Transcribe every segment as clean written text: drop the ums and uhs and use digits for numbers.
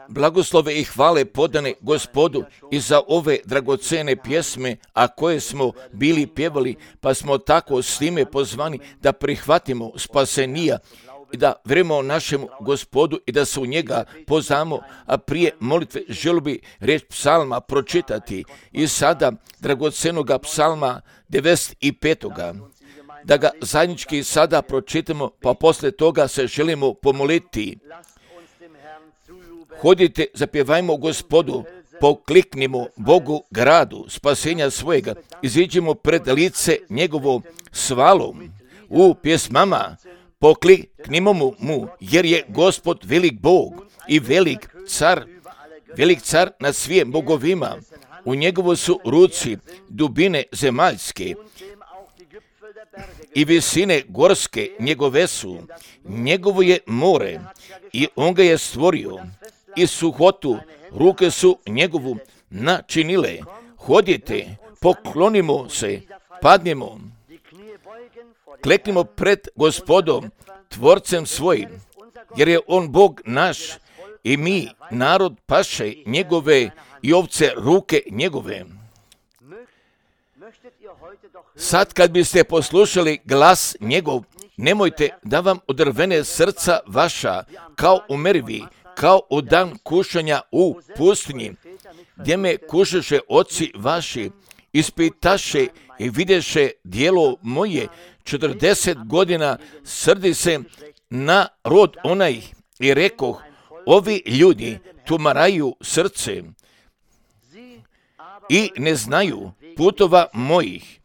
Blagoslove i hvale podane Gospodu i za ove dragocene pjesme, a koje smo bili pjevali, pa smo tako s time pozvani da prihvatimo spasenija i da vjerujemo našemu Gospodu i da se u njega poznamo, a prije molitve želio bi riječ psalma pročitati i sada dragocenoga psalma 95. Da ga zajednički sada pročitamo, pa poslije toga se želimo pomoliti. Hodite, zapjevajmo Gospodu, pokliknimo Bogu gradu spasenja svojega, iziđimo pred lice njegovo svalom. U pjesmama pokliknimo mu, jer je Gospod velik Bog i velik car nad svim bogovima. U njegovo su ruci dubine zemaljske i visine gorske njegove su. Njegovo je more i on ga je stvorio i suhotu ruke su njegovu načinile. Hodite, poklonimo se, padnimo, kleknimo pred Gospodom, tvorcem svojim, jer je on Bog naš i mi narod paše njegove i ovce ruke njegove. Sad kad biste poslušali glas njegov, nemojte da vam odrvene srca vaša kao u merivi, kao u dan kušanja u pustinji, gdje me kušaše oci vaši, ispitaše i videše dijelo moje, 40 godina srdi se na rod onaj i rekoh, ovi ljudi tumaraju srce i ne znaju putova mojih.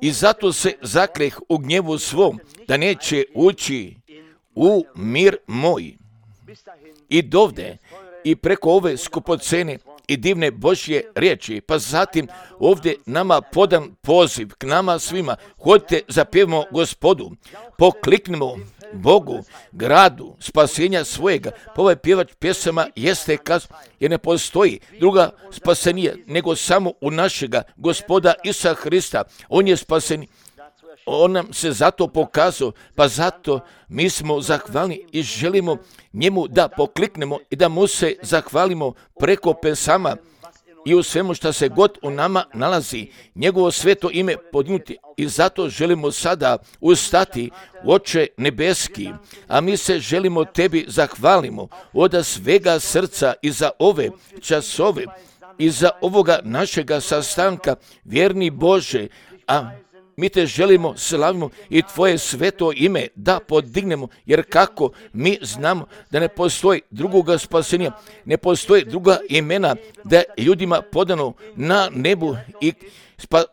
I zato se zakleh u gnjevu svom, da neće ući u mir moj. I dovde, i preko ove skupocene i divne Božje riječi, pa zatim ovdje nama podan poziv k nama svima. Hodite, zapjevamo Gospodu, pokliknimo Bogu, gradu spasenja svojega. Pa ovaj pjevač pjesama jeste kazao, jer ne postoji druga spasenija nego samo u našega Gospoda Isusa Hrista. On je spasen. On nam se zato pokazao, pa zato mi smo zahvalni i želimo njemu da pokliknemo i da mu se zahvalimo preko pesama i u svemu što se god u nama nalazi, njegovo sveto ime podignuti. I zato želimo sada ustati, Oče nebeski, a mi se želimo tebi zahvalimo od svega srca i za ove časove i za ovoga našega sastanka, vjerni Bože, a mi te želimo, slavimo i tvoje sveto ime da podignemo, jer kako mi znamo da ne postoji drugoga spasenja, ne postoji druga imena da je ljudima podano na nebu i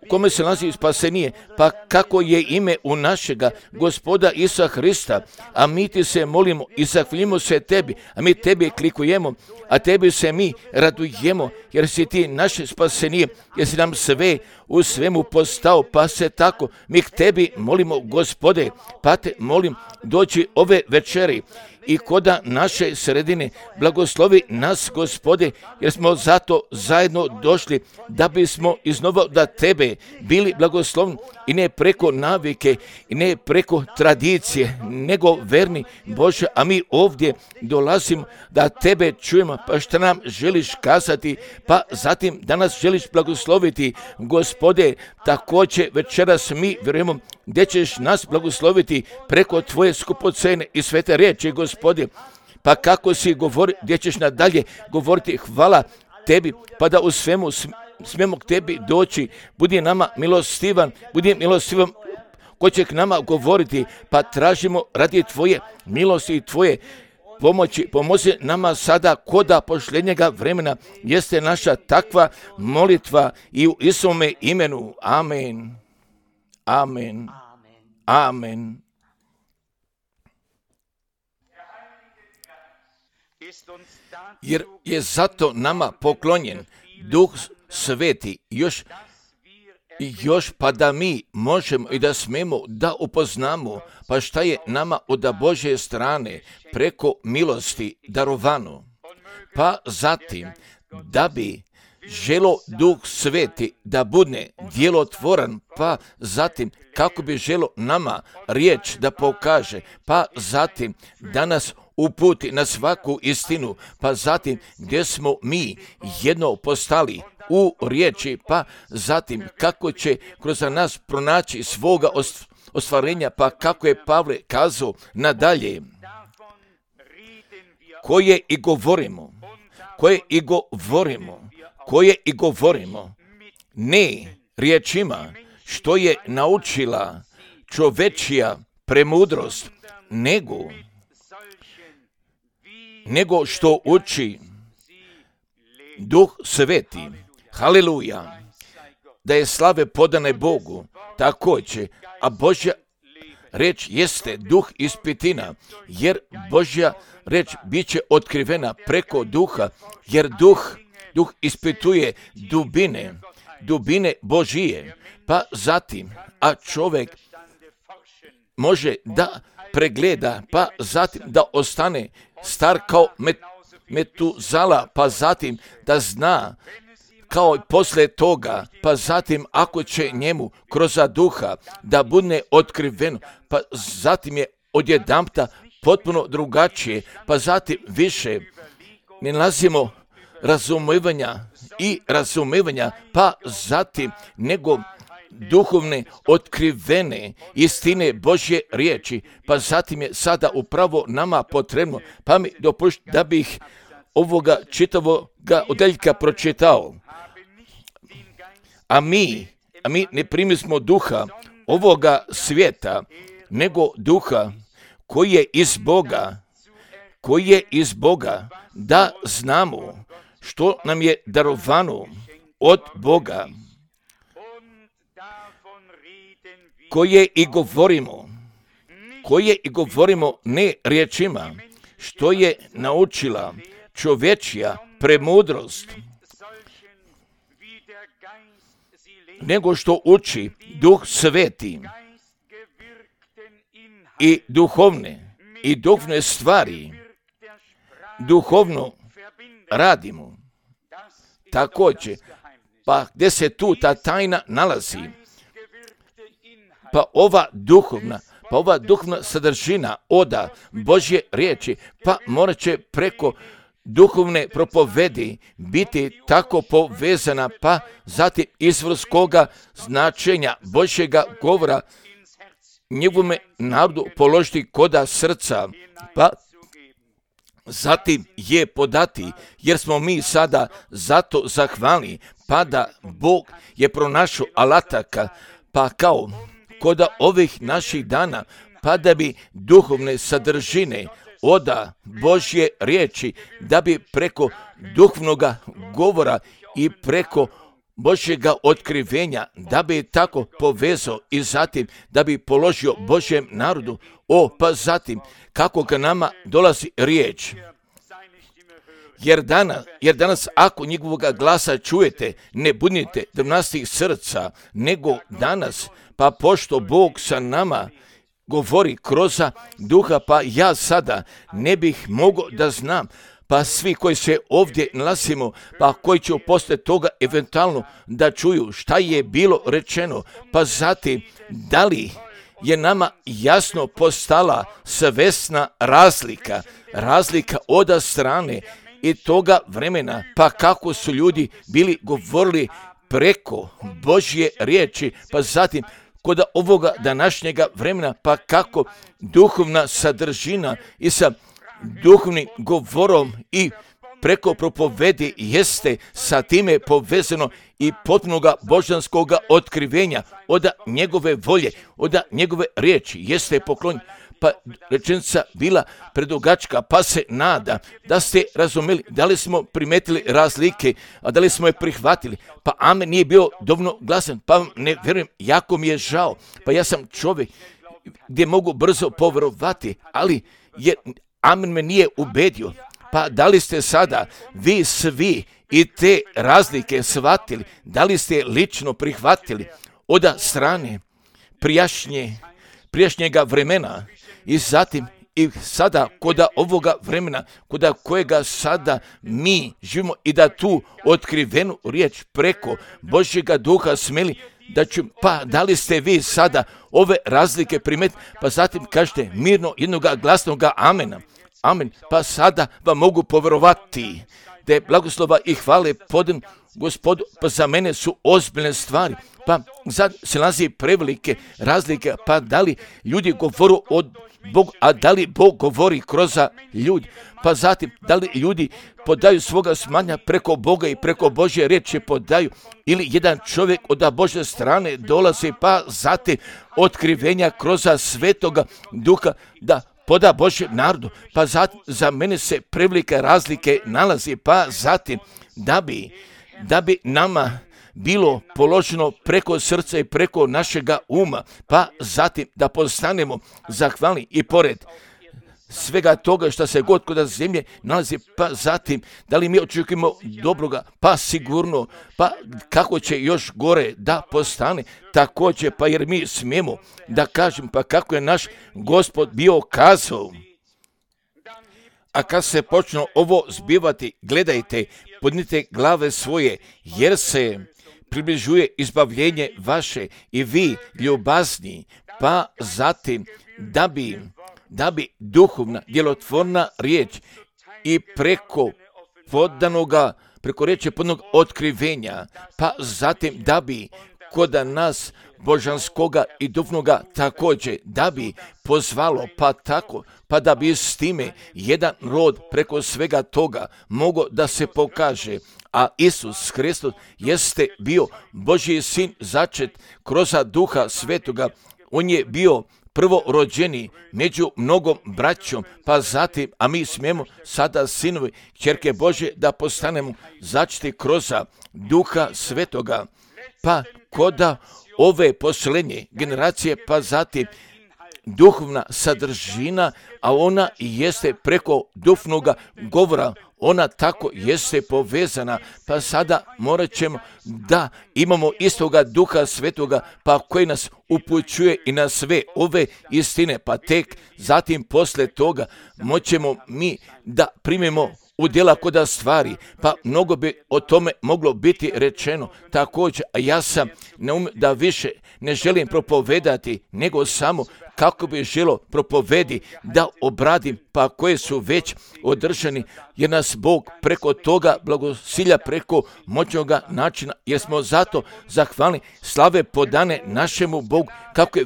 kome se nalazi spasenije, pa kako je ime u našega Gospoda Isusa Hrista, a mi ti se molimo i zahvaljujemo se tebi, a mi tebi klikujemo, a tebi se mi radujemo, jer si ti naše spasenije, jer si nam sve u svemu postao, pa se tako mi k tebi molimo, Gospode, pa te molim, dođi ove večeri i koda naše sredine, blagoslovi nas, Gospode, jer smo zato zajedno došli da bismo iznova da tebe bili blagoslovni i ne preko navike i ne preko tradicije, nego verni Bože, a mi ovdje dolazimo da tebe čujemo, pa što nam želiš kazati, pa zatim da nas želiš blagosloviti, Gospode, također večeras mi vjerujemo gdje ćeš nas blagosloviti preko tvoje skupocene i svete riječi, Gospode, pa kako si govori, gdje ćeš nadalje govoriti, hvala tebi, pa da u svemu smijemo k tebi doći, budi nama milostivan ko će k nama govoriti, pa tražimo radi tvoje milosti i tvoje pomoći, pomozi nama sada koda pošljenjega vremena, jeste naša takva molitva i u Isome imenu. Amen. Amen. Amen. Jer je zato nama poklonjen Duh Sveti još pa da mi možemo i da smemo da upoznamo pa šta je nama od Božje strane preko milosti darovano. Pa zatim da bi želo Duh Sveti da bude djelotvoran, pa zatim kako bi želo nama riječ da pokaže, pa zatim da nas uputi na svaku istinu, pa zatim gdje smo mi jedno postali u riječi, pa zatim kako će kroz nas pronaći svoga ostvarenja, pa kako je Pavle kazao nadalje, koje i govorimo, ne riječima što je naučila čovečija premudrost, nego što uči Duh Sveti. Haleluja! Da je slave podane Bogu, također, a Božja reč jeste duh ispitina, jer Božja reč bit će otkrivena preko duha, jer duh ispituje dubine Božije, pa zatim, a čovjek može da pregleda, pa zatim da ostane star kao Metuzala, pa zatim da zna kao i poslije toga, pa zatim ako će njemu kroz duha da bude otkriveno, pa zatim je odjedanput potpuno drugačije, pa zatim više ne nalazimo razumevanja, pa zatim nego duhovne otkrivene istine Božje riječi, pa zatim je sada upravo nama potrebno, pa mi dopušti da bih ovoga čitavoga odeljka pročitao. A mi ne primismo duha ovoga svijeta, nego duha koji je iz Boga, da znamo što nam je darovano od Boga, koje i govorimo ne riječima, što je naučila čovečija premudrost, nego što uči Duh Sveti i duhovne stvari, duhovno radimo. Također, pa gdje se tu ta tajna nalazi, pa ova duhovna sadržina oda Božje riječi, pa morat će preko duhovne propovedi biti tako povezana, pa zatim izvorskoga značenja Božjega govora njegovome narodu položiti koda srca, pa zatim je podati, jer smo mi sada zato zahvalni, pa da Bog je pronašao alataka, pa kao koda ovih naših dana, pa da bi duhovne sadržine oda Božje riječi, da bi preko duhovnoga govora i preko Božjega otkrivenja, da bi tako povezao i zatim da bi položio Božjem narodu, pa zatim kako ga nama dolazi riječ. Jer danas ako njegovoga glasa čujete, ne budite drvnastih srca, nego danas, pa pošto Bog sa nama govori kroz duha, pa ja sada ne bih mogao da znam, pa svi koji se ovdje nalazimo, pa koji će poslije toga eventualno da čuju šta je bilo rečeno, pa zatim da li je nama jasno postala svesna razlika od strane i toga vremena, pa kako su ljudi bili govorili preko Božje riječi, pa zatim kod ovoga današnjega vremena, pa kako duhovna sadržina i sa duhovnim govorom i preko propovedi jeste sa time povezano i potpunoga božanskoga otkrivenja od njegove volje, od njegove riječi jeste poklon. Pa rečenica bila predugačka, pa se nada da ste razumeli, da li smo primetili razlike, a da li smo je prihvatili. Pa amen nije bio dovoljno glasan, pa ne vjerujem, jako mi je žao. Pa ja sam čovjek gdje mogu brzo povjerovati, ali amen me nije ubedio. Pa da li ste sada vi svi i te razlike shvatili, da li ste lično prihvatili od strane prijašnjega vremena i zatim i sada kod ovoga vremena, kod kojega sada mi živimo i da tu otkrivenu riječ preko Božjega duha smeli da ću, pa da li ste vi sada ove razlike primetili, pa zatim kažete mirno jednoga glasnoga amena. Amen. Pa sada vam mogu povjerovati da je blagoslova i hvale podan Gospodu, pa za mene su ozbiljne stvari. Pa sad se nalazi prevelike razlike, pa da li ljudi govoru od Bog, a da li Bog govori kroz ljudi? Pa zatim, da li ljudi podaju svoga smanja preko Boga i preko Božje riječi podaju, ili jedan čovjek od Božje strane dolazi, pa zatim otkrivenja kroz Svetoga Duha da poda Božjem narodu, pa zatim za mene se prevelike razlike nalazi, pa zatim da bi nama bilo položeno preko srca i preko našega uma, pa zatim da postanemo zahvalni i pored svega toga što se god kod zemlje nalazi, pa zatim da li mi očekujemo dobroga, pa sigurno, pa kako će još gore da postane, također, pa jer mi smijemo da kažem, pa kako je naš Gospod bio kazao. A kad se počne ovo zbivati, gledajte, podnite glave svoje, jer se približuje izbavljenje vaše i vi ljubazni, pa zatim da bi duhovna, djelotvorna riječ i preko riječi podnog otkrivenja, pa zatim da bi kod nas božanskoga i duhovnoga također, da bi pozvalo, pa tako, pa da bi s time jedan rod preko svega toga mogao da se pokaže. A Isus Hristos jeste bio Božji sin začet kroz Duha Svetoga. On je bio prvorođeni među mnogom braćom, pa zatim, a mi smijemo sada sinovi, kćerke Božje, da postanemo začeti kroz Duha Svetoga. Pa koda ove posljednje generacije, pa zatim duhovna sadržina, a ona jeste preko duhovnoga govora, ona tako jeste povezana, pa sada morat ćemo da imamo istoga Duha Svetoga, pa koji nas upućuje i na sve ove istine, pa tek zatim posle toga moćemo mi da primimo u djela koda stvari, pa mnogo bi o tome moglo biti rečeno također, a ja sam da više ne želim propovedati, nego samo kako bi želo propovedi da obradim, pa koje su već održani, jer nas Bog preko toga blagosilja, preko moćnoga načina, jer smo zato zahvalni, slave podane našemu Bogu, kako je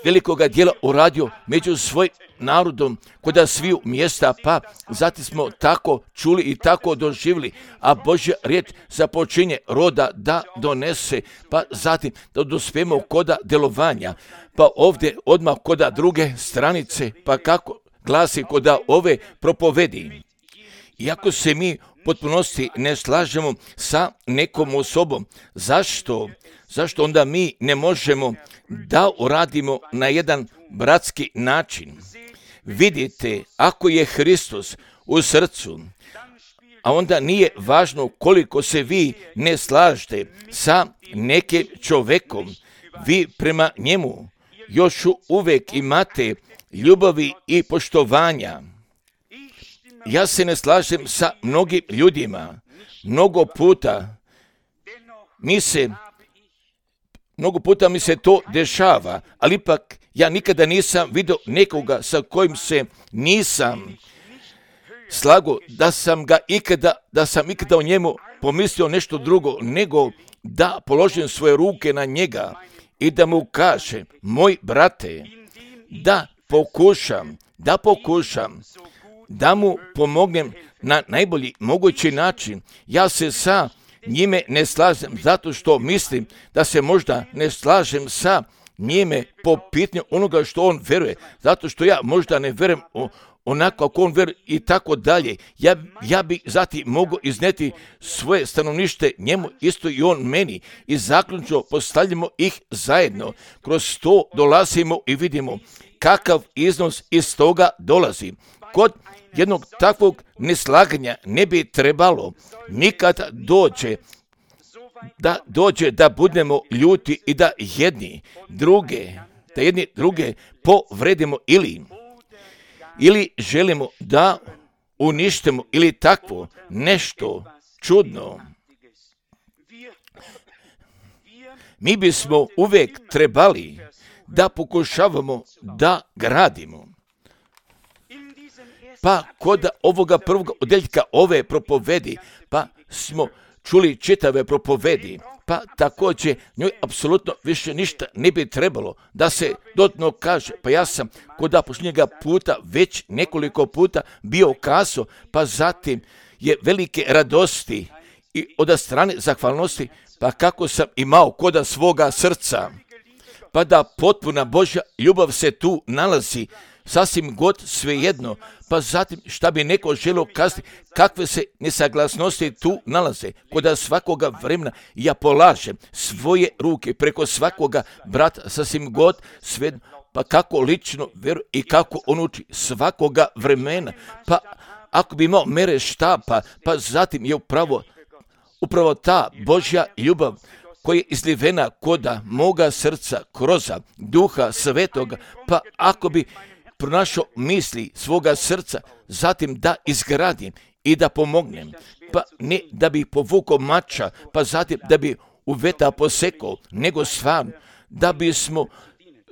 velikoga dijela uradio među svojim narodom kod sviju mjesta, pa zatim smo tako čuli i tako doživjeli, a Božja riječ započinje roda da donese, pa zatim da dospijemo koda delovanja, pa ovdje odmah koda druge stranice, pa kako glasi koda ove propovedi. Iako se mi potpunosti ne slažemo sa nekom osobom, zašto onda mi ne možemo da uradimo na jedan bratski način? Vidite, ako je Hristos u srcu, a onda nije važno koliko se vi ne slažete sa nekim čovjekom, vi prema njemu još uvijek imate ljubavi i poštovanja. Ja se ne slažem sa mnogim ljudima. Mnogo puta mi se to dešava, ali ipak ja nikada nisam vidio nekoga sa kojim se nisam slagao, da sam ikada o njemu pomislio nešto drugo, nego da položim svoje ruke na njega i da mu kažem, moj brate, da pokušam da mu pomognem na najbolji mogući način. Ja se sa njime ne slažem zato što mislim da se možda ne slažem sa njime po pitanju onoga što on veruje, zato što ja možda ne verujem onako kako on veruje i tako dalje. Ja bi zatim mogu izneti svoje stanovnište njemu, isto i on meni, i zaključno postavljamo ih zajedno. Kroz to dolazimo i vidimo kakav iznos iz toga dolazi. Kod jednog takvog neslaganja ne bi trebalo nikad dođe da budemo ljuti i da jedni druge povredimo ili želimo da uništimo ili takvo nešto čudno. Mi bismo uvijek trebali da pokušavamo da gradimo. pa kod ovoga prvog odjeljka ove propovedi, pa smo čuli čitave propovedi, pa također njoj apsolutno više ništa ne bi trebalo da se dodatno kaže. Pa ja sam kod posljednjega puta već nekoliko puta bio kazao, pa zatim je velike radosti i od strane zahvalnosti, pa kako sam imao kod svoga srca, pa da potpuna Božja ljubav se tu nalazi, sasvim god svejedno, pa zatim šta bi neko želio kazati, kakve se nesaglasnosti tu nalaze, kod svakoga vremena ja polažem svoje ruke preko svakoga brata, sasvim god svejedno, pa kako lično vjeru i kako on uči svakoga vremena, pa ako bi imao mere štapa, pa zatim je upravo ta Božja ljubav koja je izlivena koda moga srca kroz Duha Svetoga, pa ako bi pronašao misli svoga srca, zatim da izgradim i da pomognem, pa ne da bi povukao mača, pa zatim da bi u veta posekao, nego stvarno da bismo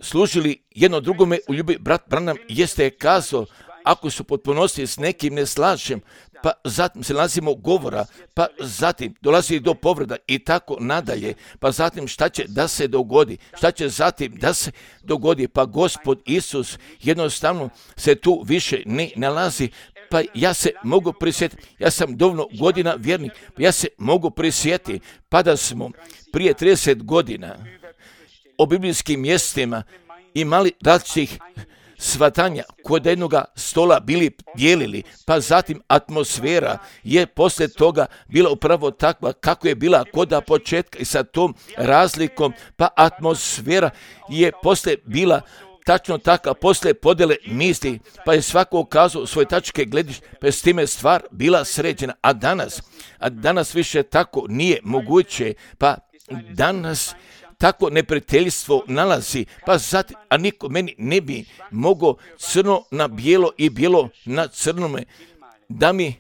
služili jedno drugome u ljubavi. Brat Branham jeste kazao, ako su potpunosti s nekim ne slažem, pa zatim se nalazimo govora, pa zatim dolazi do povreda i tako nadalje, pa zatim šta će da se dogodi, šta će zatim da se dogodi, pa Gospod Isus jednostavno se tu više ne nalazi, pa ja se mogu prisjetiti, ja sam dovoljno godina vjernik, pa ja se mogu prisjetiti, pa da smo prije 30 godina o biblijskim mjestima imali različitih svatanja kod jednoga stola bili dijelili, pa zatim atmosfera je poslije toga bila upravo takva kako je bila kod početka i sa tom razlikom, pa atmosfera je poslije bila tačno taka, poslije podjele misli, pa je svako ukazao svoje tačke gledišta, pa je s time stvar bila sređena, a danas više tako nije moguće, pa danas tako neprijateljstvo nalazi, pa zatim, a niko meni ne bi mogao crno na bijelo i bijelo na crnome da mi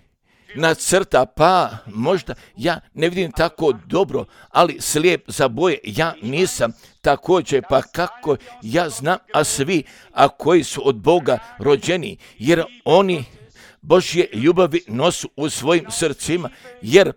nacrta, pa možda ja ne vidim tako dobro, ali slijep za boje ja nisam također, pa kako ja znam, a svi, a koji su od Boga rođeni, jer oni Božje ljubavi nosu u svojim srcima, jer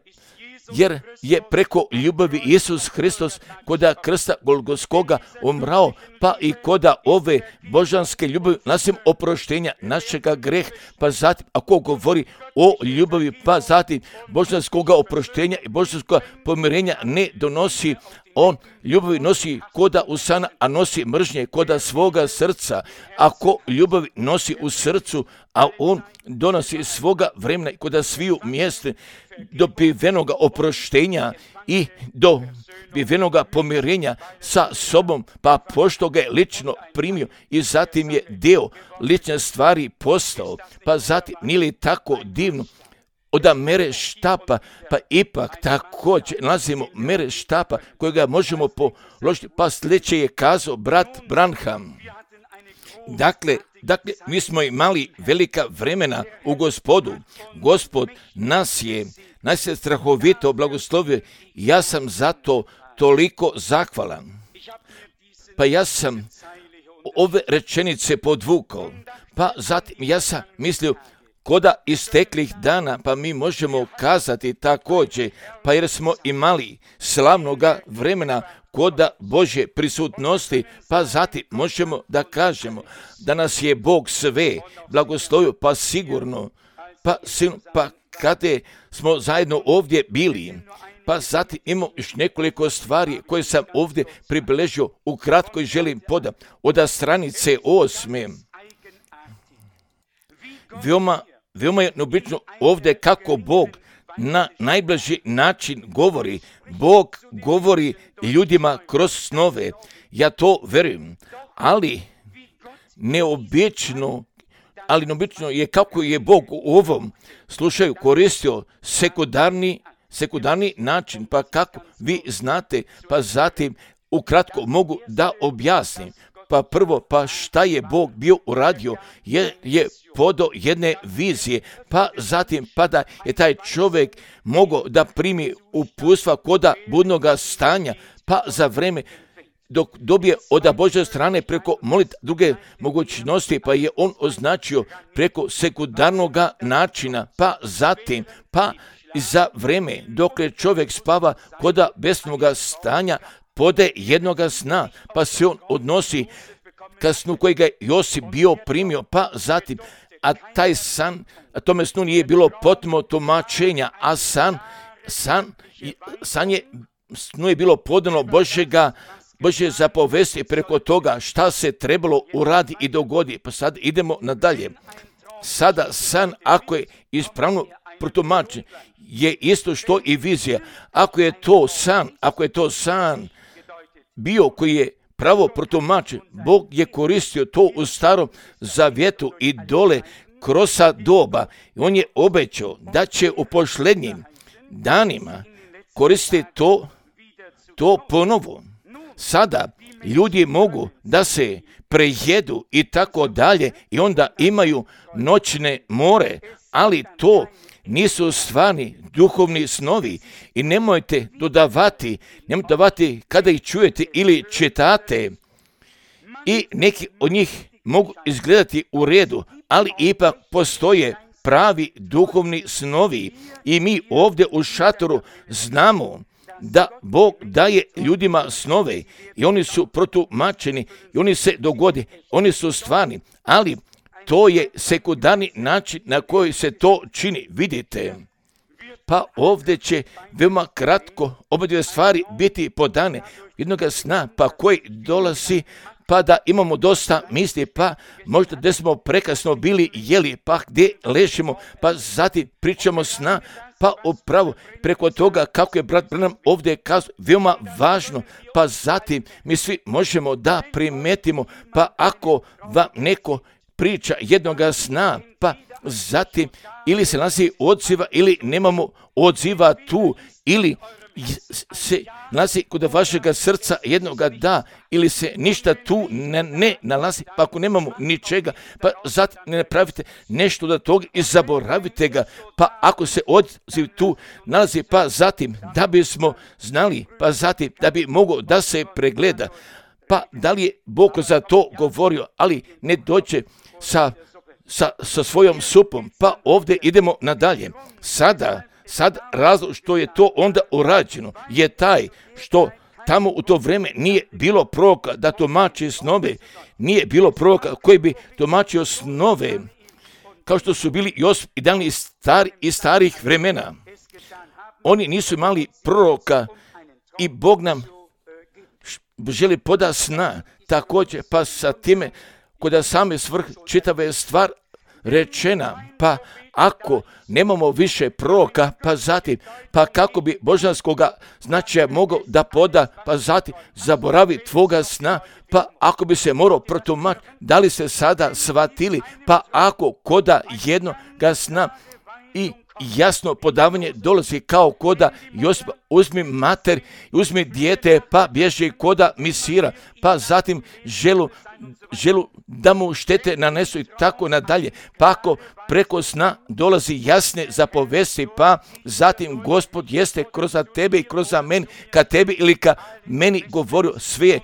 je preko ljubavi Isus Hristos koda krsta Golgotskoga umrao, pa i koda ove božanske ljubavi nasim oproštenja našega greha, pa zatim ako govori o ljubavi, pa zatim božanskoga oproštenja i božanskoga pomirenja ne donosi, on ljubavi nosi koda usana, a nosi mržnje koda svoga srca. Ako ljubavi nosi u srcu, a on donosi svoga vremena i koda sviju mjeste dobivenoga oproštenja i dobivenoga pomirenja sa sobom, pa pošto ga je lično primio i zatim je dio lične stvari postao, pa zatim nije li tako divno od mere štapa, pa ipak također nalazimo mere štapa kojega možemo položiti, pa sljedeće je kazao brat Branham. Dakle, mi smo imali velika vremena u Gospodu. Gospod nas je strahovito blagoslovio. Ja sam zato toliko zahvalan. Pa ja sam ove rečenice podvukao. Pa zatim ja sam mislio, koda isteklih dana, pa mi možemo kazati također, pa jer smo imali slavnoga vremena koda Božje prisutnosti, pa zatim možemo da kažemo da nas je Bog sve blagoslovio, pa sigurno, pa kada smo zajedno ovdje bili, pa zatim imamo još nekoliko stvari koje sam ovdje približio, ukratko i želim podati od stranice 8. Veoma je neobično ovdje kako Bog na najbliži način govori. Bog govori ljudima kroz snove. Ja to verujem. Ali neobično je kako je Bog u ovom slučaju koristio sekundarni način. Pa kako vi znate, pa zatim ukratko mogu da objasnim. Pa prvo, pa šta je Bog bio uradio, je podao jedne vizije, pa zatim pa da je taj čovjek mogao da primi uputstva koda budnoga stanja, pa za vreme dok dobije od Božje strane preko molitve druge mogućnosti, pa je on označio preko sekundarnog načina, pa zatim, pa za vreme dok čovjek spava kod besnog stanja pode jednoga sna, pa se on odnosi ka snu kojega je Josip bio primio, pa zatim, a taj san, a tome snu nije bilo potpuno tumačenja, a snu je bilo podano Božje zapovesti preko toga šta se trebalo uradi i dogodi. Pa sad idemo nadalje. Sada san, ako je ispravno protumačen, je isto što i vizija. Ako je to san bio koji je pravo protumačen, Bog je koristio to u Starom Zavjetu i dole kroz doba. On je obećao da će u posljednjim danima koristiti to ponovo. Sada ljudi mogu da se prejedu i tako dalje i onda imaju noćne more, ali to nisu stvarni duhovni snovi i nemojte dodavati kada ih čujete ili čitate i neki od njih mogu izgledati u redu, ali ipak postoje pravi duhovni snovi i mi ovdje u šatoru znamo da Bog daje ljudima snove i oni su protumačeni i oni se dogode, oni su stvarni, ali to je sekundarni način na koji se to čini, vidite. Pa ovdje će veoma kratko oba dvije stvari biti podane jednoga sna, pa koji dolazi, pa da imamo dosta misli, pa možda gdje smo prekasno bili jeli, pa gdje ležimo, pa zatim pričamo sna, pa upravo preko toga kako je brat Branham ovdje kazao, veoma važno, pa zatim mi svi možemo da primetimo, pa ako vam neko priča jednoga sna, pa zatim ili se nalazi odziva ili nemamo odziva tu, ili se nalazi kod vašega srca jednoga da, ili se ništa tu ne nalazi, pa ako nemamo ničega, pa zatim ne napravite nešto do toga i zaboravite ga, pa ako se odziv tu nalazi, pa zatim da bismo znali, pa zatim da bi mogao da se pregleda, pa da li je Bog za to govorio, ali ne dođe sa svojom supom, pa ovdje idemo nadalje. Sad razlog što je to onda urađeno je taj što tamo u to vrijeme nije bilo proroka da tumači snove, nije bilo proroka koji bi tumačio snove, kao što su bili Josip i Daniel iz starih vremena. Oni nisu imali proroka i Bog nam želi poda sna, također pa sa time kod same svrh čitava je stvar rečena, pa ako nemamo više proroka, pa zatim, pa kako bi božanskoga značaja mogao da poda, pa zatim zaboravi tvoga sna, pa ako bi se morao protumačiti, da li se sada shvatili, pa ako koda jednoga sna i jasno podavanje dolazi kao koda Josipa, uzmi mater, uzmi dijete, pa bježi koda misira, pa zatim želu da mu štete nanesu i tako nadalje. Pa ako preko sna dolazi jasne zapovesti, pa zatim Gospod jeste kroz tebe i kroz meni, ka tebi ili ka meni govorio sve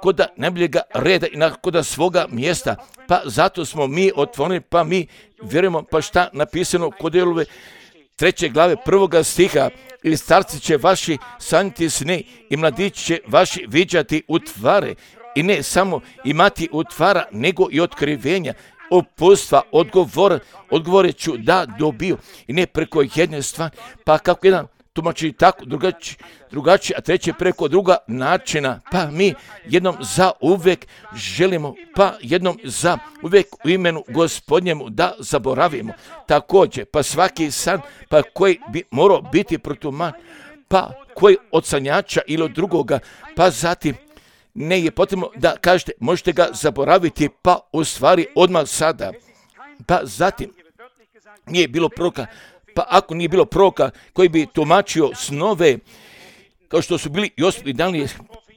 kod najboljega reda i kod svoga mjesta, pa zato smo mi otvoreni, pa mi vjerujemo, pa šta napisano kod Elove 3. glave 1. stiha, ili starci će vaši sanjati sne i mladići će vaši viđati utvare, i ne samo imati utvara, nego i otkrivenja, uputstva, odgovorit ću da dobiju, i ne preko jedne stvari, pa kako jedan tumači tako, drugačije, a treće preko druga načina, pa mi jednom za uvek želimo, pa jednom za uvek u imenu Gospodnjemu da zaboravimo. Također, pa svaki san, pa koji bi morao biti protumačen, pa koji od sanjača ili od drugoga, pa zatim ne je potrebno da kažete možete ga zaboraviti, pa u stvari odmah sada, pa zatim nije bilo proroka. Pa ako nije bilo proroka koji bi tumačio snove, kao što su bili Josip i Daniel,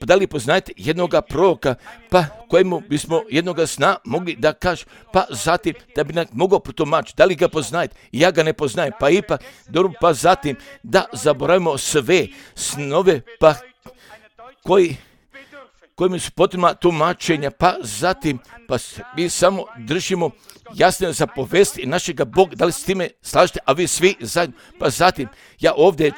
pa da li poznajete jednoga proroka, pa kojemu bismo jednoga sna mogli da kažu, pa zatim da bi nam mogao protumačiti, da li ga poznajete? Ja ga ne poznajem, pa ipak, dobro, pa zatim da zaboravimo sve snove, pa koji kojim su potrebna tumačenja, pa zatim, pa mi samo držimo jasne zapovesti našega Boga, da li s time slažete, a vi svi zajedno, pa zatim, ja ovdje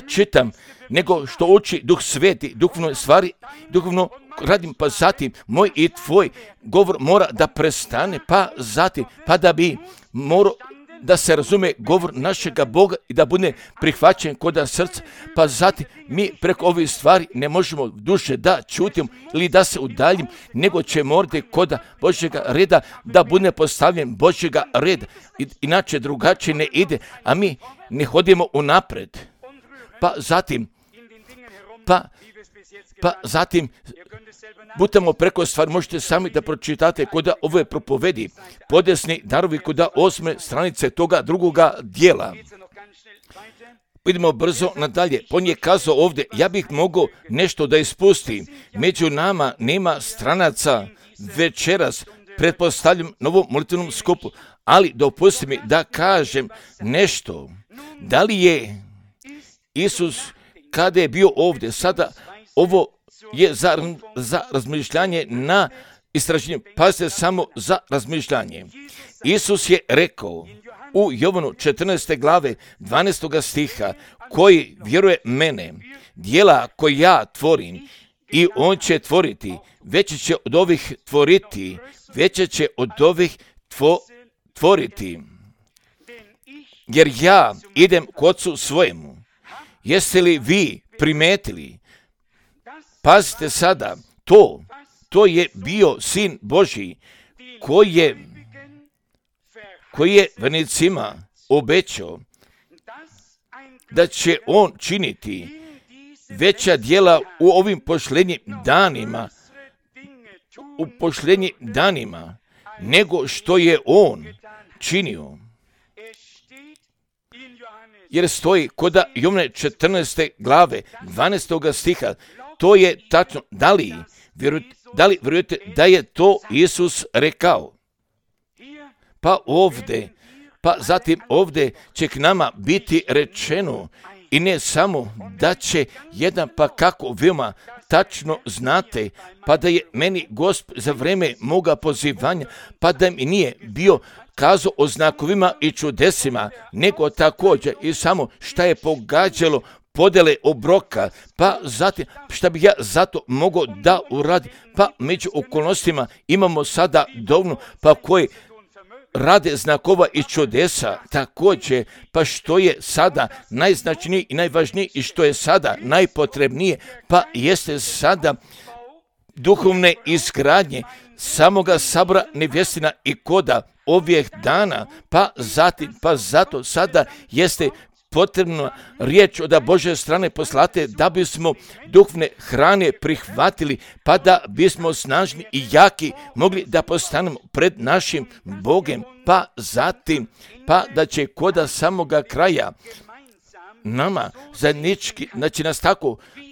čitam, nego što uči Duh Sveti, duhovno stvari, duhovno radim, pa zatim, moj i tvoj govor mora da prestane, pa zatim, pa da bi morao da se razume govor našega Boga i da bude prihvaćen kod srca, pa zatim mi preko ovih stvari ne možemo duše da čutimo ili da se udaljim, nego će morati kod Božjega reda da bude postavljen Božjega reda. Inače drugačije ne ide, a mi ne hodimo unapred. Pa zatim butamo preko stvari, možete sami da pročitate kod ove propovedi, podesni darovi kod 8. stranice toga drugoga dijela. Idemo brzo nadalje. On je kazao ovdje, ja bih mogao nešto da ispustim. Među nama nema stranaca večeras, pretpostavljam novom molitvenom skupu, ali dopusti mi da kažem nešto. Da li je Isus kada je bio ovdje, sada ovo je za razmišljanje na istraženje, pazite samo za razmišljanje. Isus je rekao u Jovanu 14. glave 12. stiha, koji vjeruje mene, djela koje ja tvorim i on će tvoriti, veće će od ovih tvoriti, veće će od ovih tvoriti, jer ja idem k Otcu svojemu. Jeste li vi primetili? Pazite sada, to je bio Sin Božji koji je vernicima obećao da će on činiti veća djela u ovim pošljenjim danima, nego što je on činio. Jer stoji kod Jovane 14. glave 12. stiha, to je tačno. Da li vjerujete da je to Isus rekao? Pa zatim ovdje će k nama biti rečeno, i ne samo da će jedan, pa kako veoma tačno znate, pa da je meni Gospod za vreme moga pozivanja, pa da mi nije bio kazao o znakovima i čudesima, nego također i samo šta je pogađalo podjele obroka, pa zatim šta bih ja zato mogao da uradim, pa među okolnostima imamo sada dovoljno, pa koji rade znakova i čudesa također, pa što je sada najznačajnije i najvažnije i što je sada najpotrebnije, pa jeste sada duhovne izgradnje samoga sabora nevjestina i koda ovih dana, pa zato sada jeste potrebna riječ od Božje strane poslate da bismo duhovne hrane prihvatili, pa da bismo snažni i jaki mogli da postanemo pred našim Bogom, pa zatim, pa da će koda samoga kraja nama zajednički, znači nas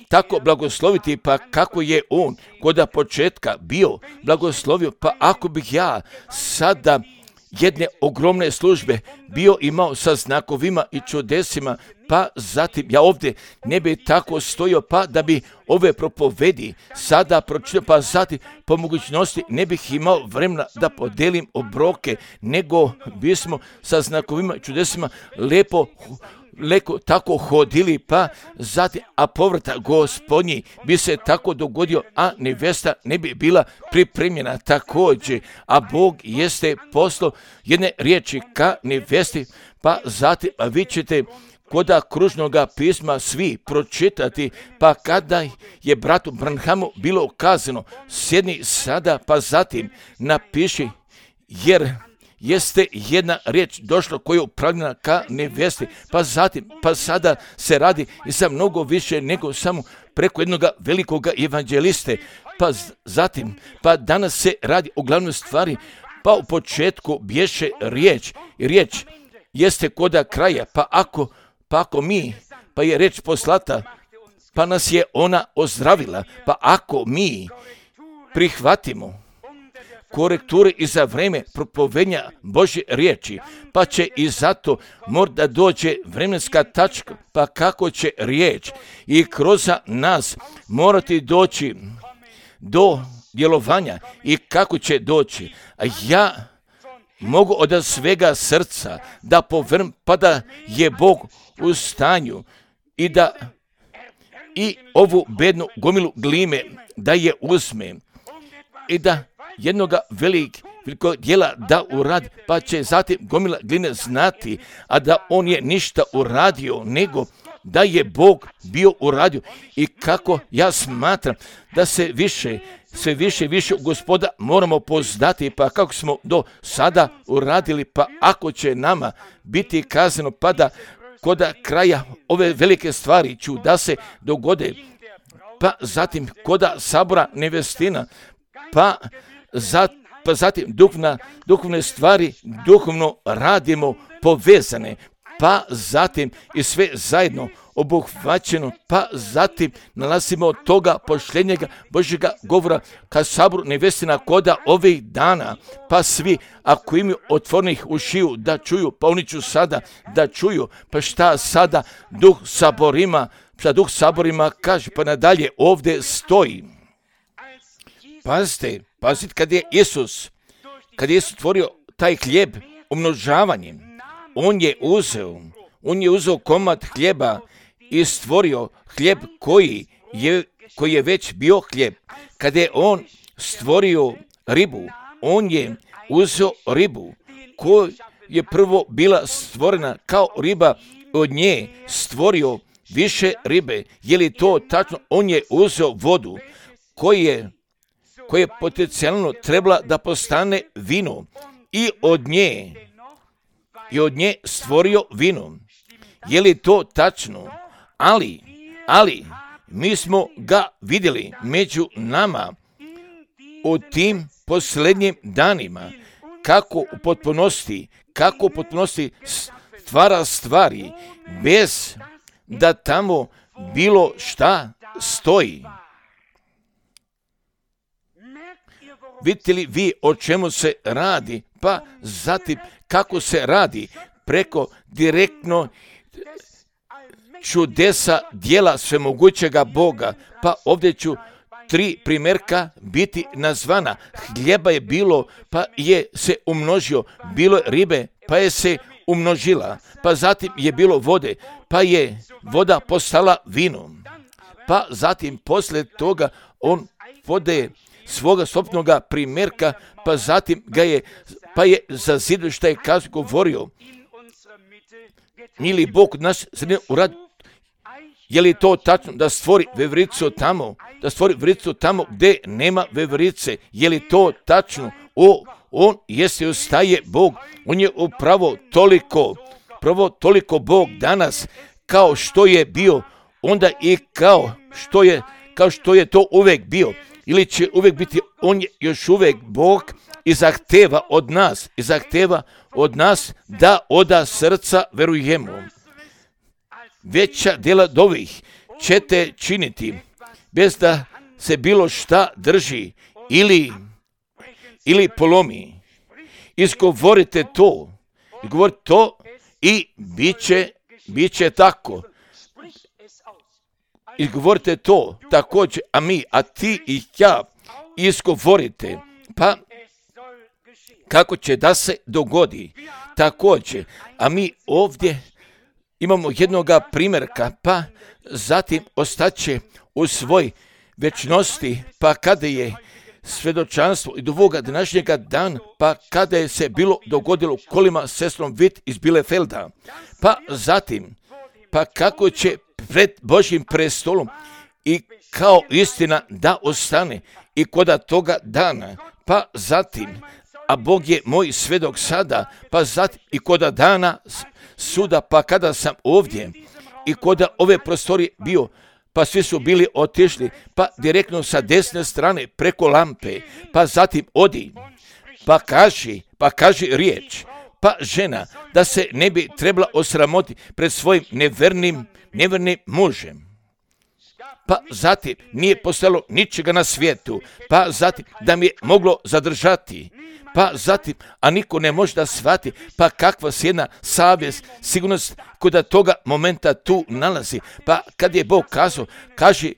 tako blagosloviti, pa kako je on koda početka bio blagoslovio, pa ako bih ja sada jedne ogromne službe bio imao sa znakovima i čudesima, pa zatim ja ovdje ne bi tako stojio, pa da bi ove propovedi sada pročitao, pa zatim po mogućnosti ne bih imao vremena da podelim obroke, nego bismo sa znakovima i čudesima lepo tako hodili, pa zatim, a povrata Gospodnji bi se tako dogodio, a nevesta ne bi bila pripremljena također, a Bog jeste poslao jedne riječi ka nevesti, pa zatim, a vi ćete koda kružnoga pisma svi pročitati, pa kada je bratu Branhamu bilo kazano, sjedni sada, pa zatim napiši, jer jeste jedna riječ došla koja je upravljena ka nevesti, pa zatim, pa sada se radi i sa mnogo više nego samo preko jednog velikog evanđeliste, pa zatim, pa danas se radi o glavnoj stvari, pa u početku bješe riječ, i riječ jeste koda kraja, pa ako mi, pa je riječ poslata, pa nas je ona ozdravila, pa ako mi prihvatimo korekture i za vreme propovenja Božje riječi, pa će i zato možda dođe vremenska tačka, pa kako će riječ i kroz nas morati doći do djelovanja i kako će doći. A ja mogu od svega srca da povrm, pa da je Bog u stanju i da i ovu bednu gomilu glime da je uzme i da jednoga velikog djela da uradi, pa će zatim gomila gline znati, a da on je ništa uradio, nego da je Bog bio uradio. I kako ja smatram da se sve više Gospoda moramo poznati, pa kako smo do sada uradili, pa ako će nama biti kazano, pa da kod kraja ove velike stvari ću da se dogode, pa zatim kod sabora nevestina, pa zatim duhovne stvari duhovno radimo povezane, pa zatim i sve zajedno obuhvaćeno, pa zatim nalazimo od toga pošljenjega Božjega govora ka saboru nevestina koda ovih dana, pa svi ako imaju otvornih ušiju da čuju, pa oni ću sada da čuju, pa šta sada duh saborima kaže, pa nadalje ovdje stoji. Pazite, kad je Isus stvorio taj hljeb umnožavanjem, on je uzeo komad hljeba i stvorio hljeb koji je već bio hljeb. Kada je on stvorio ribu, on je uzeo ribu koja je prvo bila stvorena kao riba, od nje stvorio više ribe. Je li to tačno? On je uzeo vodu koja je potencijalno trebala da postane vino i od nje stvorio vino. Je li to tačno? Ali mi smo ga vidjeli među nama u tim posljednjim danima, kako u potpunosti stvara stvari bez da tamo bilo šta stoji. Vidite li vi o čemu se radi, pa zatim kako se radi preko direktno čudesa djela svemogućega Boga, pa ovdje ću 3 primjerka biti nazvana. Hljeba je bilo, pa je se umnožio, bilo je ribe, pa je se umnožila, pa zatim je bilo vode, pa je voda postala vinom, pa zatim poslije toga on vode svoga sopnoga primjerka, pa zatim pa je za zidu šta je govorio, ili Bog od nas uradi. Je li to tačno da stvori vevericu tamo gdje nema veverice? Je li to tačno? On jeste ostaje Bog, on je upravo toliko Bog danas kao što je bio onda i kao što je to uvijek bio, ili će uvijek biti. On je još uvijek Bog i zahteva od nas da od srca verujemo. Veća djela ovih ćete činiti bez da se bilo šta drži ili polomi. Izgovorite to i bit će tako. Izgovorite to također, a ti i ja izgovorite, pa kako će da se dogodi također. A mi ovdje imamo jednoga primjerka, pa zatim ostaće u svoj večnosti, pa kada je svjedočanstvo i do ovoga današnjega dana, pa kada je se bilo dogodilo kolima sestrom Witt iz Bielefelda, pa zatim, pa kako će pred Božjim prestolom i kao istina da ostane i koda toga dana, pa zatim, a Bog je moj svjedok sada, pa zatim i koda dana suda, pa kada sam ovdje i koda ove prostorije bio, pa svi su bili otišli, pa direktno sa desne strane preko lampe, pa zatim odi, pa kaži riječ, pa žena da se ne bi trebala osramoti pred svojim nevernim mužem. pa zatim nije postojalo ničega na svijetu, pa zatim da mi je moglo zadržati, pa zatim, a niko ne može da shvati, pa kakva se jedna savjest, sigurnost kod toga momenta tu nalazi, pa kad je Bog kazao, kaži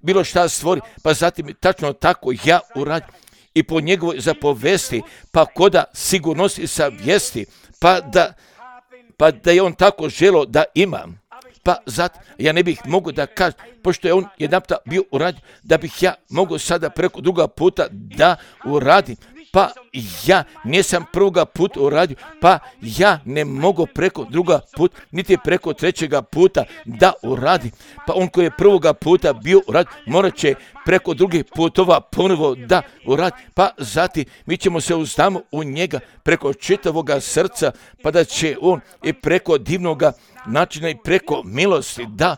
bilo šta stvori, pa zatim tačno tako ja uradim i po njegovoj zapovesti, pa koda sigurnosti savjesti, pa da je on tako želio da imam. Pa zato ja ne bih mogao da kažem, pošto je on jedanputa bio uradio, da bih ja mogao sada preko druga puta da uradim. Pa ja nisam prvoga puta uradio, pa ja ne mogu preko druga puta, niti preko trećega puta da uradim. Pa on koji je prvoga puta bio uradio, morat će preko drugih putova ponovo da uradi. Pa zatim mi ćemo se uzdamo u njega preko čitavoga srca, pa da će on i preko divnoga načina i preko milosti da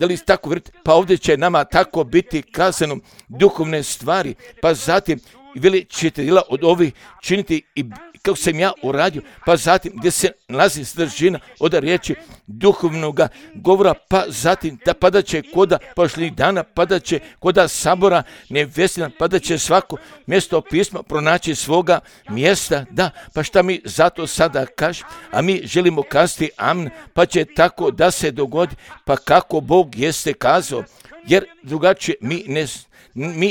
li tako vidite, pa ovdje će nama tako biti kazano duhovne stvari, pa zatim veli ćete djela od ovih činiti i kako sam ja uradio, pa zatim gdje se nalazi sadržina od riječi duhovnoga govora, pa zatim da padat će koda pošlih dana, padat će koda sabora nevjestina, padat će svako mjesto pisma pronaći svoga mjesta, da, pa šta mi zato sada kažemo, a mi želimo kazati amen, pa će tako da se dogodi, pa kako Bog jeste kazao, jer drugačije mi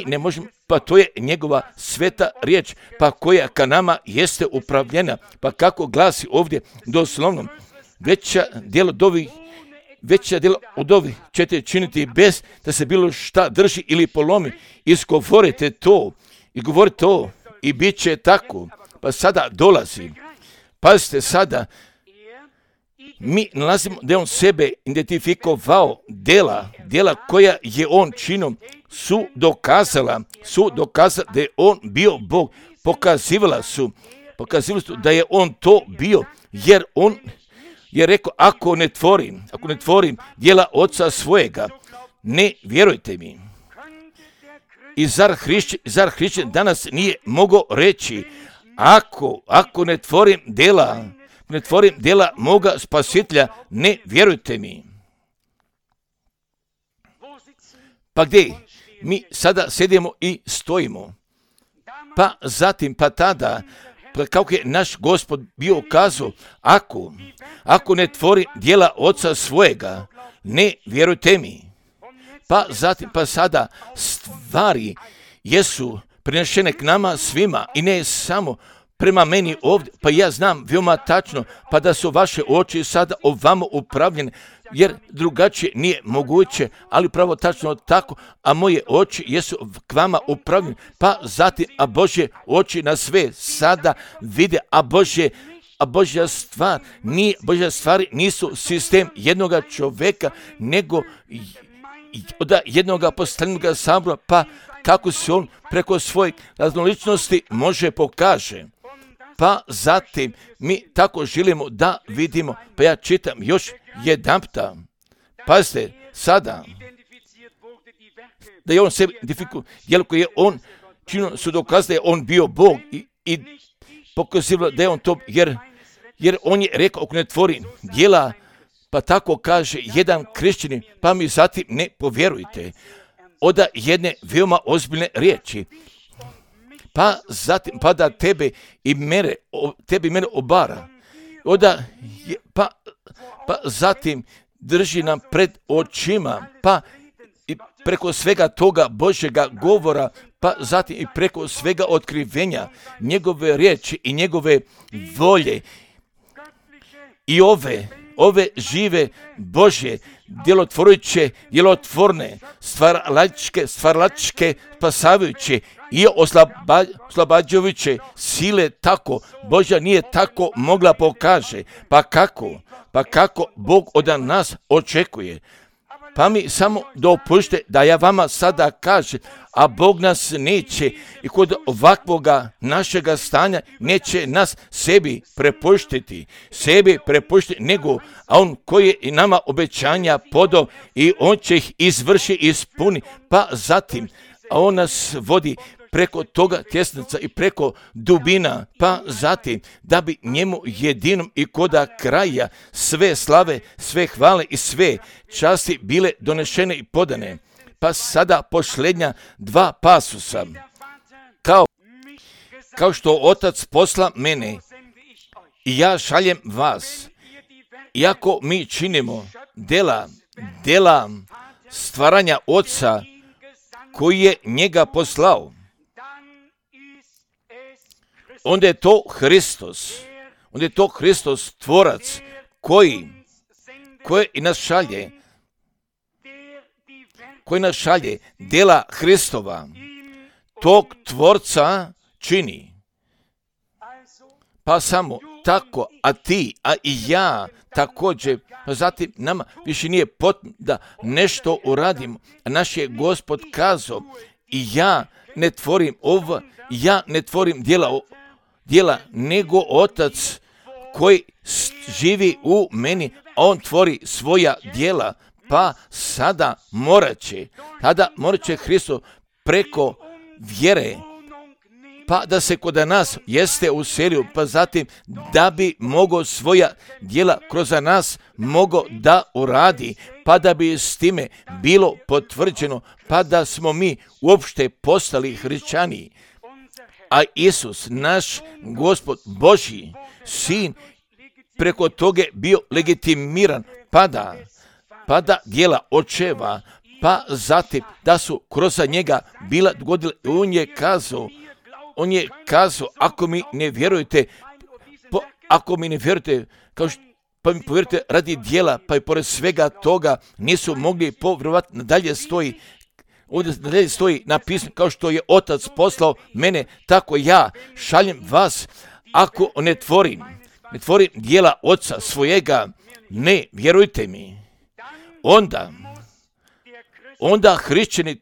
ne možemo, pa to je njegova sveta riječ, pa koja ka nama jeste upravljena, pa kako glasi ovdje doslovno, veća djela od ovih ćete činiti bez da se bilo šta drži ili polomi, izgovorite to i govorite to i bit će tako, pa sada dolazi, pazite sada, mi nalazimo da je on sebe identifikovao djela koja je on činom su dokazala da je on bio Bog, pokazivala su da je on to bio, jer on je rekao, ako ne tvorim djela oca svojega, ne vjerujte mi. I zar hrišćan danas nije mogao reći, ako ne tvorim djela moga spasitelja, ne vjerujte mi. Pa gdje? Mi sada sedimo i stojimo. Pa zatim, pa tada, kako je naš Gospod bio kazao, ako ne tvori djela oca svojega, ne vjerujte mi. Pa zatim, pa sada stvari jesu prenešene k nama svima i ne samo prema meni ovdje, pa ja znam veoma tačno, pa da su vaše oči sada ovamo upravljene, jer drugačije nije moguće, ali pravo tačno tako, a moje oči jesu k vama upravljene, pa zatim, a Božje oči na sve sada vide, a Božja stvari nisu sistem jednoga čovjeka, nego od jednoga postavljenog sabora, pa kako se on preko svojih raznoličnosti može pokaže. Pa zatim mi tako želimo da vidimo, pa ja čitam još jedanputa. Pazite, sada, da je on sebi identifikuje, jer koji je on činio su dokaz da je on bio Bog i pokazivalo da je on to, jer on je rekao, ako ne tvori djela, pa tako kaže jedan kršćanin, pa mi zatim ne povjerujte. Oda jedne veoma ozbiljne riječi. Pa zatim, pa da tebe i mene obara. Pa zatim drži nam pred očima, pa i preko svega toga Božjega govora, pa zatim i preko svega otkrivenja njegove riječi i njegove volje i ove žive Božje, djelotvorne, stvaralačke, spasavajuće i oslobađajuće sile tako, Božja nije tako mogla pokaže. Pa kako Bog od nas očekuje? Pa mi samo dopušte da ja vama sada kažem, a Bog nas neće i kod ovakvoga našega stanja neće nas sebi prepuštiti, nego, a on koji je i nama obećanja podao i on će ih ispuni, pa zatim, a on nas vodi preko toga tjesnaca i preko dubina, pa zatim da bi njemu jedinom i koda kraja sve slave, sve hvale i sve časti bile donešene i podane. Pa sada posljednja dva pasusa. Kao što Otac posla mene i ja šaljem vas. Iako mi činimo dela stvaranja Oca koji je njega poslao, onda je to Hristos, tvorac koji i nas šalje, dela Hristova, tog tvorca čini. Pa samo tako, a ti, a i ja također, pa zatim nama više nije potrebno da nešto uradimo. Naš je Gospod kazao, i ja ne tvorim ja ne tvorim djela, nego Otac koji živi u meni, on tvori svoja djela. Pa sada morat će Hristos preko vjere, pa da se kod nas jeste uselio, pa zatim da bi mogao svoja djela kroz nas mogao da uradi, pa da bi s time bilo potvrđeno, pa da smo mi uopšte postali hrišćani. A Isus, naš Gospod Božji Sin, preko toga bio legitimiran, pa da djela očeva, pa zatim da su kroz njega bila dogodila. On je kazao, ako mi ne vjerujete, pa mi povjerujte radi djela, pa i pored svega toga nisu mogli povjerovati. Nadalje stoji napisano, kao što je Otac poslao mene, tako ja šaljem vas. Ako ne tvorim djela Oca svojega, ne vjerujte mi, onda hrišćani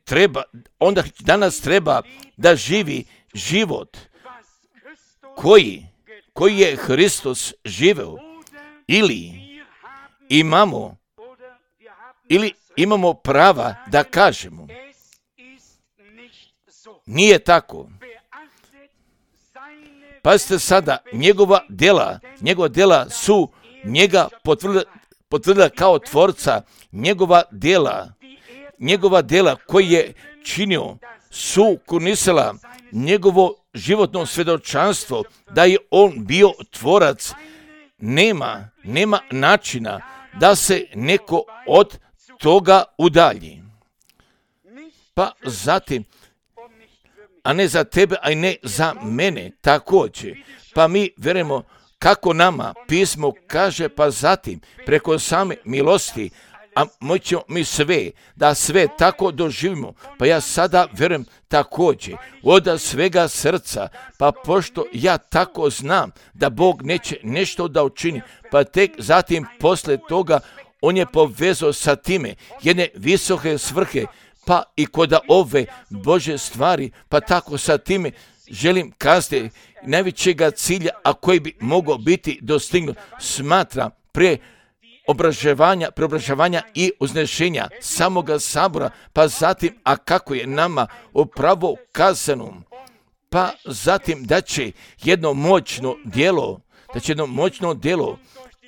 danas treba da živi život koji je Hristos živeo, ili imamo prava da kažemo nije tako. Pazite sada, njegova djela su njega potvrdila kao tvorca. Njegova djela koji je činio su kunisala njegovo životno svjedočanstvo da je on bio tvorac. Nema načina da se neko od toga udalji. Pa zatim, a ne za tebe, a i ne za mene također. Pa mi vjerujemo kako nama pismo kaže, pa zatim preko same milosti, a moćemo mi sve tako doživimo. Pa ja sada vjerujem također od svega srca, pa pošto ja tako znam da Bog neće nešto da učini, pa tek zatim posle toga on je povezao sa time jedne visoke svrhe, pa i kod ove Bože stvari, pa tako sa time želim kazati najvećega cilja, a koji bi mogao biti dostignut, smatram preobražavanja i uznešenja samoga sabora, pa zatim, a kako je nama upravo kazano, pa zatim da će jedno moćno djelo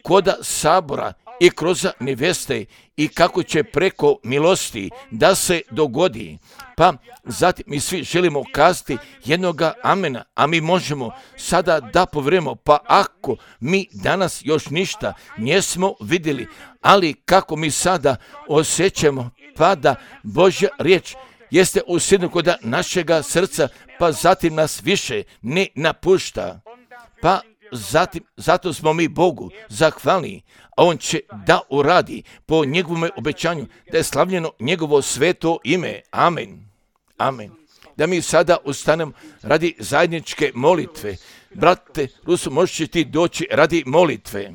koda sabora i kroz neveste i kako će preko milosti da se dogodi. Pa zatim mi svi želimo kazati jednoga amena, a mi možemo sada da povjerujemo, pa ako mi danas još ništa nismo vidjeli, ali kako mi sada osjećamo, pa da Božja riječ jeste usidnu kod našega srca, pa zatim nas više ne napušta. Pa zatim, zato smo mi Bogu zahvalni, a on će da uradi po njegovom obećanju, da je slavljeno njegovo sveto ime. Amen. Amen. Da mi sada ustanemo radi zajedničke molitve. Brate Rusu, možeš ti doći radi molitve.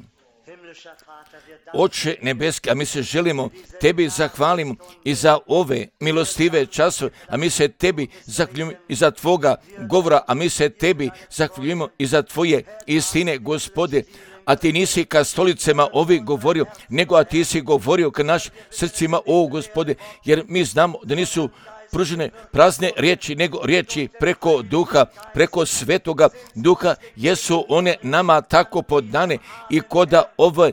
Oče nebeski, a mi se želimo tebi zahvalimo i za ove milostive časove, a mi se tebi zahvaljujemo i za tvoga govora, a mi se tebi zahvaljujemo i za tvoje istine, Gospode. A ti nisi ka stolicama ovi govorio, nego a ti si govorio ka našim srcima, o Gospode, jer mi znamo da nisu pružene prazne riječi, nego riječi preko duha, preko svetoga duha, jesu one nama tako podane i koda ove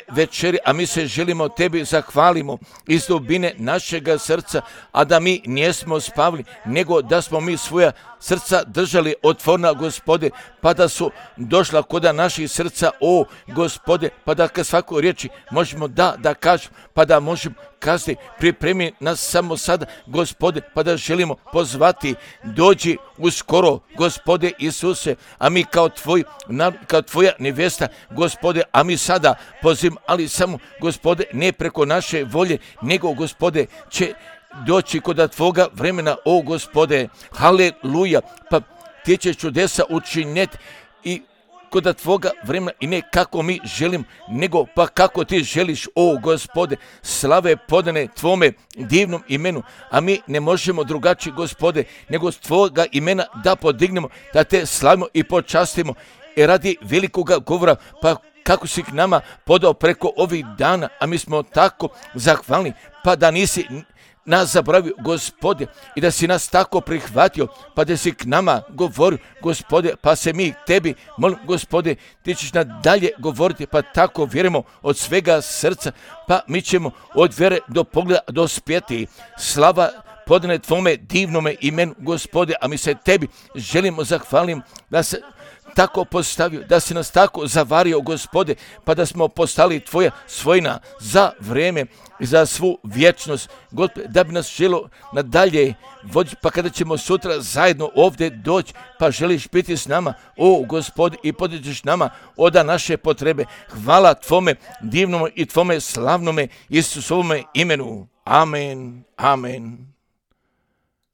večeri, a mi se želimo tebi zahvalimo iz dubine našega srca, a da mi nismo spavili, nego da smo mi svoja srca držali otvorena, Gospode, pa da su došla koda naših srca, o Gospode, pa da kad svaku riječi možemo da kažemo, pa da možemo kazati, pripremi nas samo sada, Gospode, pa da želimo pozvati, dođi uskoro, Gospode Isuse, a mi kao tvoja nevesta, Gospode, a mi sada pozivamo, ali samo, Gospode, ne preko naše volje, nego, Gospode, će doći kod tvoga vremena, o Gospode, haleluja, pa ti ćeš čudesa učiniti i kod tvoga vremena i ne kako mi želim, nego pa kako ti želiš, o Gospode, slave podane tvome divnom imenu, a mi ne možemo drugačije, Gospode, nego s tvoga imena da podignemo, da te slavimo i počastimo, i radi velikoga govora, pa kako si k nama podao preko ovih dana, a mi smo tako zahvalni, pa da nisi nas zaboravio, Gospode, i da si nas tako prihvatio, pa da si k nama govorio, Gospode, pa se mi tebi molim, Gospode, ti ćeš nadalje govoriti, pa tako vjerujemo od svega srca, pa mi ćemo od vjere do pogleda dospjeti. Slava podane tvome divnome imenu, Gospode, a mi se tebi želimo zahvalim da se tako postavio, da si nas tako zavario, Gospode, pa da smo postali tvoja svojina za vreme i za svu vječnost, Gospode, da bi nas želo nadalje voditi, pa kada ćemo sutra zajedno ovdje doći, pa želiš biti s nama, o Gospode, i podižeš nama oda naše potrebe. Hvala tvome divnome i tvome slavnome Isusovome imenu. Amen. Amen.